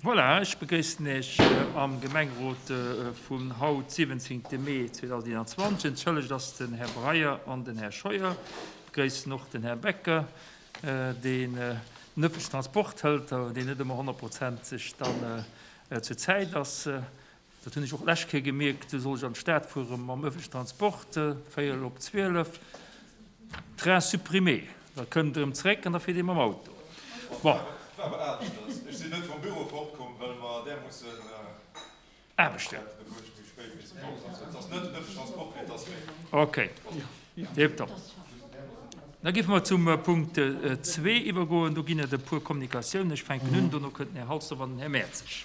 Voilà, ech begréissen Iech am Gemengerot vun haut, 17 Mee 2021. Entschëllegt ass den Här Breyer an den Här Scheuer. Ech begréissen och den Här Becker, deen den ëffentlechen Transport hëlt, awer deen net ëmmer honnertprozenteg dann zur Zäit ass. Dat hunn ech och d'lescht Kéier gemierkt, du soll ech an d'Stad fuere mam ëffentlechen Transport, véierel op 12, Train supprimé. Da kënnt e rëm zeréck an da fiert ee mam Auto. Bon. War awer aneschters. Ech sinn net vum Büro fortkomm, well mer där mussen. Aarbechten. Ok, tiptop. Da géife mer zum Punkt zwee iwwergoen. Do ginn et e puer Kommunikatiounen. Ech fänken un, dono kënnt den Här Halsdorf an den Här Mertzig.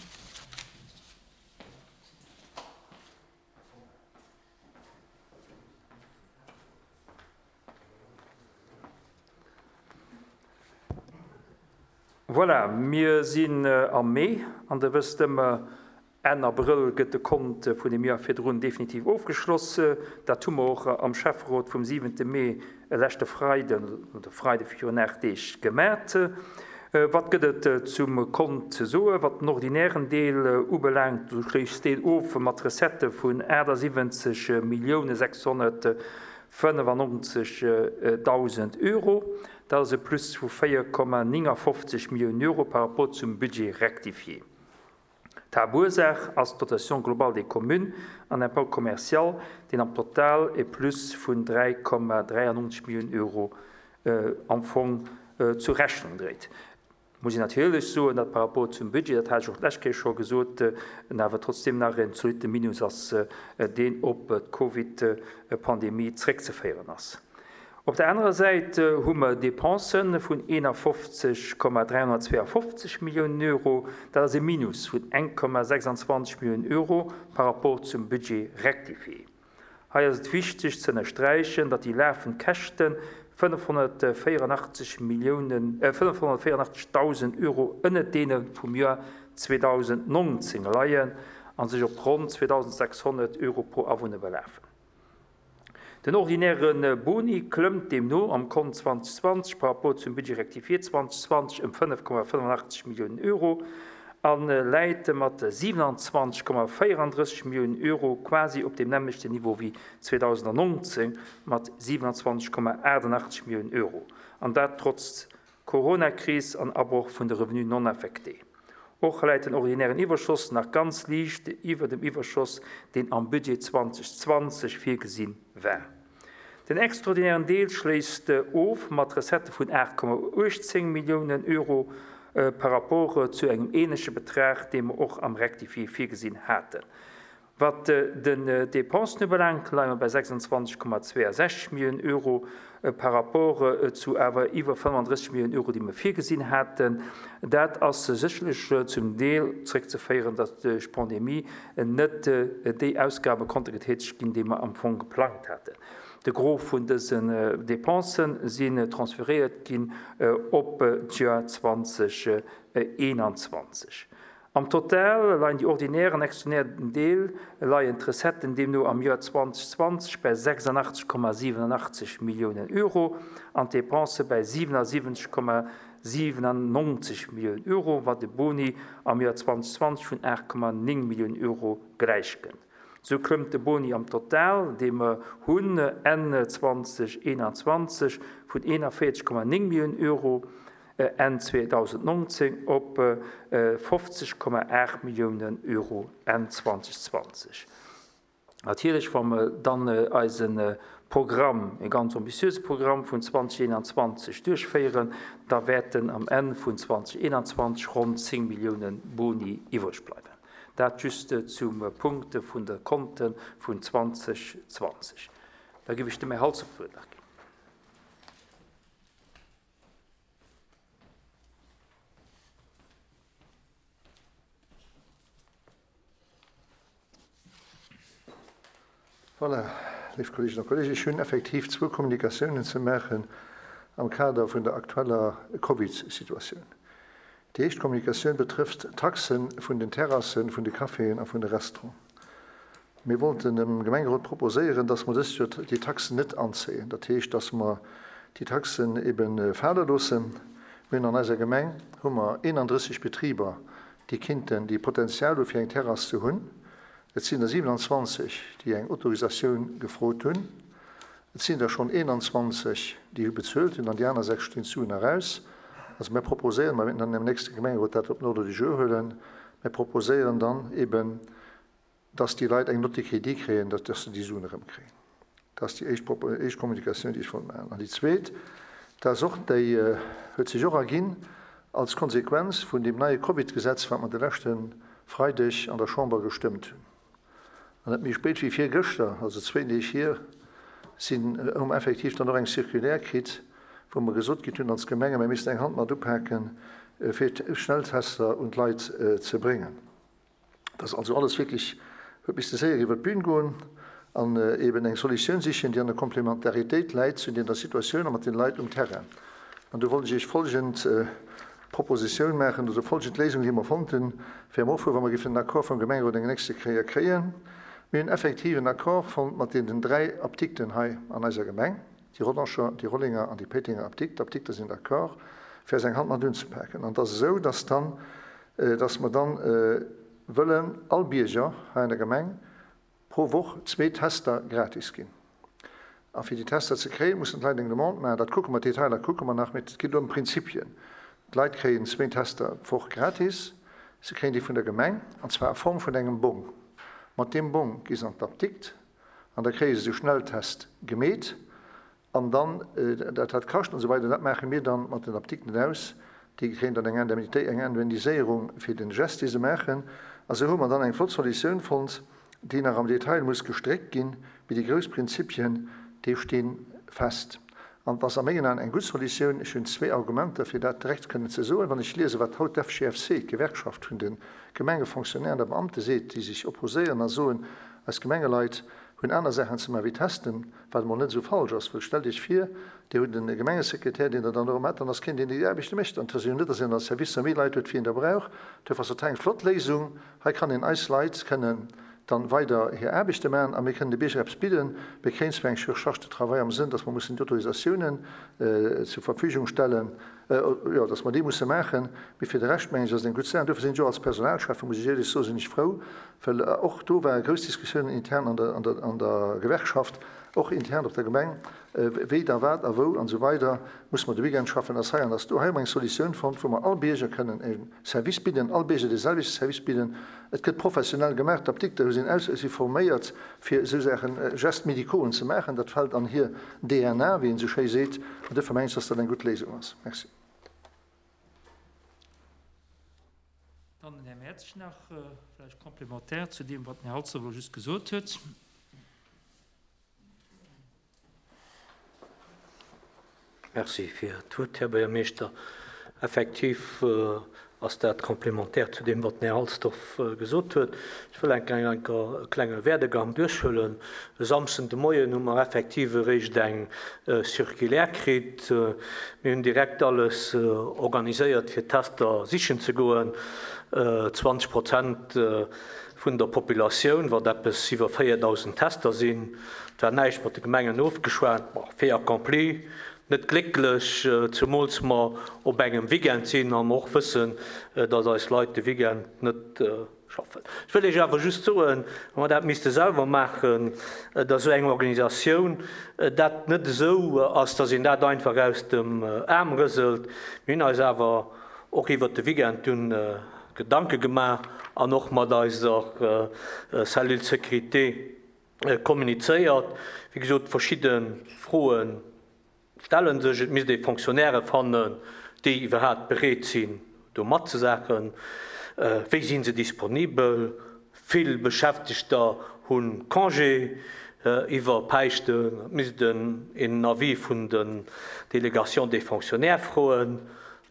Voilà, mir sinn am Mee an Der wësst ëmmer, Enn Abrëll gëtt de Kont vun dem Joer virdrun definitiv ofgeschloss. Dat hu mer och am Schäfferot vum siwente Mee, leschte Freiden, oder Freide virun 8 Deeg, gemat. Wat gëtt et zum Kont ze soen? Wat den ordinären Deel ubelaangt, esou schléisst deen of mat Recettë vun 78 Millioune 695 Dausend Euro. Dat ass e Plus vu 4,59 Milliounen Euro par rapport zum Budget rectifié. D'Haaptursaach ass d'Dotation globale des communes an Impôt commercial, deen am Total e Plus vun 3,93 Milliounen Euro am Fong zur Rechnung dréit. Muss een natierlech soen, datt par rapport zum Budget, dat hat ech och d'lescht Kéier scho gesot, en awer trotzdeem nach en zolitte Minus ass, deen op d'Covid-Pandemie zréckzeféieren ass. Op der anerer Säit hu mer Depensë vun 51,352 Milliounen Euro. Dat ass e Minus vun 1,26 Milliounen Euro par rapport zum Budget rectifié. Hei ass et wichteg ze ënnersträichen, datt déi lafend Käschte 584 Milliounen, 584.000 Euro ënnert deene vum Joer 2019 leien a sech op ronn 2.600 Euro pro Awunner belafen. Den ordinäre Boni klëmmt deemno am Kont 2020 par rapport zum Budget rectifié 2020 ëm 5,85 Milliounen Euro a läit mat 27,34 Milliounen Euro quasi op deem nämmlechten Niveau wéi 2019 mat 27,88 Milliounen Euro, an dat trotz Coronakris an Abroch vun de Revenus non affectés. Och läit den ordinären Iwwerschoss nach ganz liicht iwwer dem Iwwerschoss, deen am Budget 2020 virgesi war. Den extraordinären Deel schléisst of mat Recettë vun 8,18 Milliounen Euro par rapport zu engem änleche Betrag, dee mer och am Rectifié virgesinn haten. Wat den Dépensen ubelaangt, leie mer bei 26,62 Milliounen Euro par rapport zu awer iwwer 35 Milliounen Euro, déi mer virgesinn haten. Dat ass sécherlech zum Deel zréckzeféieren, datt duerch d'Pandemie net déi Ausgabe konnte getätegt ginn, déi mer am Fong geplangt haten. De Gros vun dësen Dépensen sinn transferéiert ginn op d'Joer 2021. Am Total leien déi ordinär an extraordinär Deel leien d'Recetten deemno am Joer 2020 bei 86,87 Milliounen Euro an d'Depensë bei 77,97 Milliounen Euro, wat e Boni am Joer 2020 vun 8,9 Milliounen Euro gläichkënnt. Sou klëmmt de Boni am Total, dee mer hunn Enn 2021, vun 41,9 Milliounen Euro Enn 2019 op 50,8 Milliounen Euro Enn 2020. Natierlech, wa mer dann eise Programm, e ganz ambitiöse Programm vun 2021 duerchféieren, da wäerten am Enn vun 2021 ronn 10 Milliounen Boni iwwreg bleiwen. Dat just zum Punkt vun de Konte vun 2020. Da géif ech dem Här Halsdorf d'Wuert nach ginn. Voilà, léif Kolleeginnen a Kolleegen, ech hunn effektiv zwou Kommunikatiounen ze maachen am Kader vun der aktueller Covidsituatioun. Déi éischt Kommunikatioun betrëfft d'Taxe vun den Terrassen, vun de Caféen a vun de Restauranten. Mir wollten dem Gemengerot proposéieren, dass mer dëst Joer déi Taxen net anzéien. Dat heescht, dass mer déi Taxen ebe fale loossen. Mir hunn an eiser Gemeng hu mer 31 Betriber, déi kinnten, déi Potenzial hu fir eng Terrass ze hunn. Et sinn der 27, déi eng Autorisatioun gefrot hunn. Et sinn der schonn 21, déi hu bezuelt hunn, an déi aner 6 stinn d'Suen nach aus. Also mir proposéieren, mer wäerten dann am nächste Gemengerot dat op den Ordre du jour huelen, mir proposéieren dann eben, dass déi Leit eng Note de crédit kréien, dass se déi Suen erëmkréien. Dat ass déi éischt, éischt Kommunikatioun, déi ech wollt maachen. An déi zweet, dat ass och, déi huet sech och erginn als Konsequenz vun deem neie Covidgesetz, wat mer de leschte Freideg an der Chamber gestëmmt hunn. An net méi spéit wéi virgëschter, also zwéin Deeg hier, sinn, hu mer effektiv dann och eng Circulaire kritt, wou mer gesot kritt hunn als Gemenge, mir missten eng Hand mat upaken, fir Schnelltester un d'Leit ze bréngen. Et ass also alles wierklech, huet misste séier iwwer d'Bün goen an eben eng Solutioun sichen, déi an der Komplementaritéit läit zu der Situatioun a mat den Leit um Terrain. An do wollt ech Iech folgend Propositioun maachen, oder folgend Léisung, déi mer fonnt hunn, fir am Offuer, wa mer géifen den Accord vum Gemengerot eng nächste Kéier kréien. Mir hunn effektiv en Accord fonnt mat deenen 3 Apdikten hei an eiser Gemeng, déi Rodanger, déi Rollenger an déi Péitenger Apdikt. D'Apdikter sinn d'accord, fir eis eng Hand mat unzepaken. An et ass esou, dass dann, dass mer dann wëllen all Bierger hei an der Gemeng pro Woch zwee Tester gratis ginn. A fir déi Tester ze kréien, mussen d'Leit eng Demande maachen. Dat kucke mer, d'Detailer kucke mer nach, mee et geet ëm Prinzipien. D'Leit kréien zwee Tester d'Woch gratis. Se kréien déi vun der Gemeng, an zwar a Form vun engem Bong. Mat deem Bong gi se an d'Apdikt an da kréie se de Schnelltest gemeet. An dann, dat wat kascht an esou weider, dat maache mir dann mat den Apdikten aus. Déi kréien dann eng Indemnitéit, eng Indemniséierung fir den Gest, dee se maachen. A sou hu mer dann eng flott Solutioun fonnt, déi nach am Detail muss gestréckt ginn, mee déi grouss Prinzipien, déi sti fest. An et ass a mengen Aen eng gutt Solutioun. Ech hunn zwee Argumenter, fir dat direkt kënnen ze soen. Wann ech liesen, wat haut d'FGFC, d'Gewerkschaft vun de Gemengefonctionnairen a Beamte seet, déi sech opposéieren a soen, eis Gemengeleit hunn aner Saachen ze maachen wéi testen, Wat emol net esou falsch ass, wëll stellt Iech vir, Dir hutt e Gemengesekretär, deen der dann erëm hätt, dann ass keen, deen déi Aarbechte mécht. An et ass jo net, datt een an Servicer méi Leit huet, wéi een der brauch. Duerfir ass dat hei eng flott Léisung. Hei kann een eis Leit kënnen dann weider hir Aarbechte maachen a mir kënnen de Bierger eppes bidden. Mir kréien zwar eng Surcharge de travail am Sënn, datt mer mussen d'Autorisatiounen zur Verfügung stellen, jo, datt mer déi musse maachen, mee fir de Rescht, mengen ech, ass et eng gutt Saach. An duerfir sinn ech och als Personalschäffe, muss ech éierlech soen, sinn ech frou, Well och do ware grouss Diskussiounen intern an der, an der, an der Gewerkschaft, och intern op der Gemeng, wéi da wat a wou an esou weider. Musse mer de Weekend schaffen, ass hei an ass do. Hei hu mer eng Solutioun fonnt, wou mer all Bierger kënnen e Service bidden, all Bierger dee selwechte Service bidden. Et gëtt professionell gemaach, d'Apdikter sinn aus, si forméiert fir esou Saachen, Gestes médicauxen ze maachen. Dat fält an hir DNA, wéi een esou schéi seet. An duerfir mengen ech, dass dat eng gutt Léisung ass. Merci. Dann den Här Mertsch nach, vläicht complémentaire zu deem, wat den Här Halsdorf elo just gesot huet. Merci fir d'Wuert, Här Buergermeeschter. Effektiv ass dat complémentaire zu deem, wat den Här Halsdorf gesot huet. Ech wëll enk eng e klenge Werdegang duerchhuelen. E Samschden de Moien hu mer effektiv eréischt eng Circulaire kritt. Mir hunn direkt alles organiséiert, fir Tester sichen ze goen. 20 Prozent vun der Populatioun, wat eppes iwwer 4.000 Tester sinn. Et war näischt mat de Gemengen ofgeschwat. Bon, fait accompli, net glécklech, zumools mer op engem Weekend sinn a mer och wëssen, datt eis Leit de Weekend net Schaffen. Ech wëll Iech awer just soen, wa mer dat misste selwer maachen, datt esou eng Organisatioun dat net esou ass, datt een dat einfach aus dem Aarm rëselt. Mir hunn eis awer och iwwert de Weekend dunn Gedanke gemaach an och mat eiser Cellule sécurité kommunizéiert. Wéi gesot, verschidde Froe Stellen sech, et misst ee Fonctionnairë fannen, déi iwwerhaapt bereet sinn, do matzesaachen. Wéi si se disponibel? Vill Beschäftegter hu Congé iwwer Päischten. Et misst een en Avis vun den Délégations des fonctionnaires froen,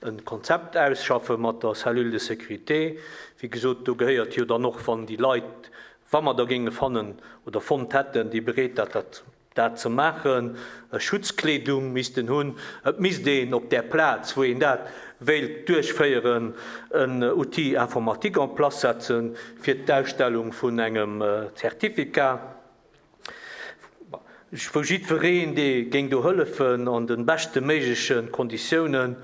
e Konzept ausschaffe mat der Cellule de sécurité. Wéi gesot, do gehéiert jo dann och, wann déi Leit, wa mer der géinge fannen oder fonnt hätten, déi bereet dat dat ze maachen, Schutzkleedung misst en hunn, et misst een op där Plaz, wou een dat wéilt duerchféieren, en Outil informatique en place setzen, fir d'Ausstellung vun engem Certificat, wou jiddwereen, dee géing do hëllefen, an de beschte méigleche Konditiounen,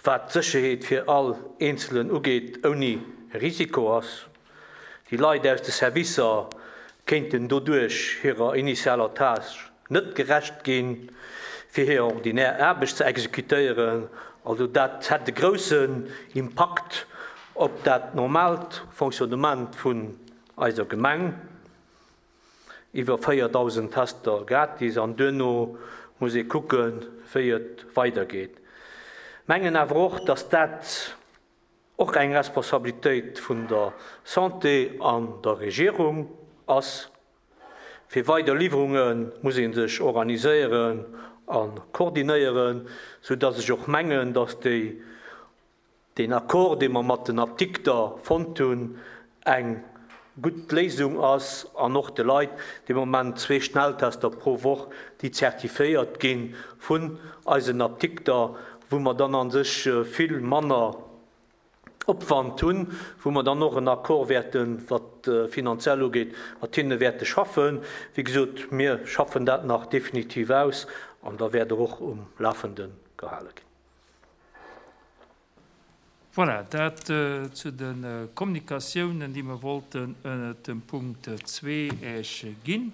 wat d'Sécherheet fir all Eenzelen ugeet, ouni. e Risiko ass. Déi Leit aus de Servicer kéinten doduerch hirer initialer Tâche net gerecht ginn, fir hir ordinär Aarbecht ze exekutéieren. Also dat hätt e groussen Impakt op dat normaalt Fonctionnement vun eiser Gemeng. Iwwer 4.000 Tester gratis an duerno muss ee kucken, wéi et weidergeet. Mengen awer och, dass dat och eng Responsabilitéit vun der Santé an der Regierung ass. Fir weider Liwwerunge muss ee sech organiséieren a koordinéieren, soudass ech och mengen, dass déi deen Accord, dee mer mat den Apdikter fonnt hunn, eng gutt Léisung ass an och de Leit de Moment zwee Schnelltester pro Woch, déi zertifiéiert gi vun eisen Apdikter, wou mer dann a sech vill manner Opwand hunn, wou mer dann och en Accord wäerten, wat finanziell ugeet, mat hinne wäerte schaffen. Wéi gesot, mir schaffen dat nach definitiv aus an da wäert Der och um Lafende gehale ginn. Voilà, dat zu de Kommunikatiounen, déi mer wollten ënnert dem Punkt zwee Iech ginn.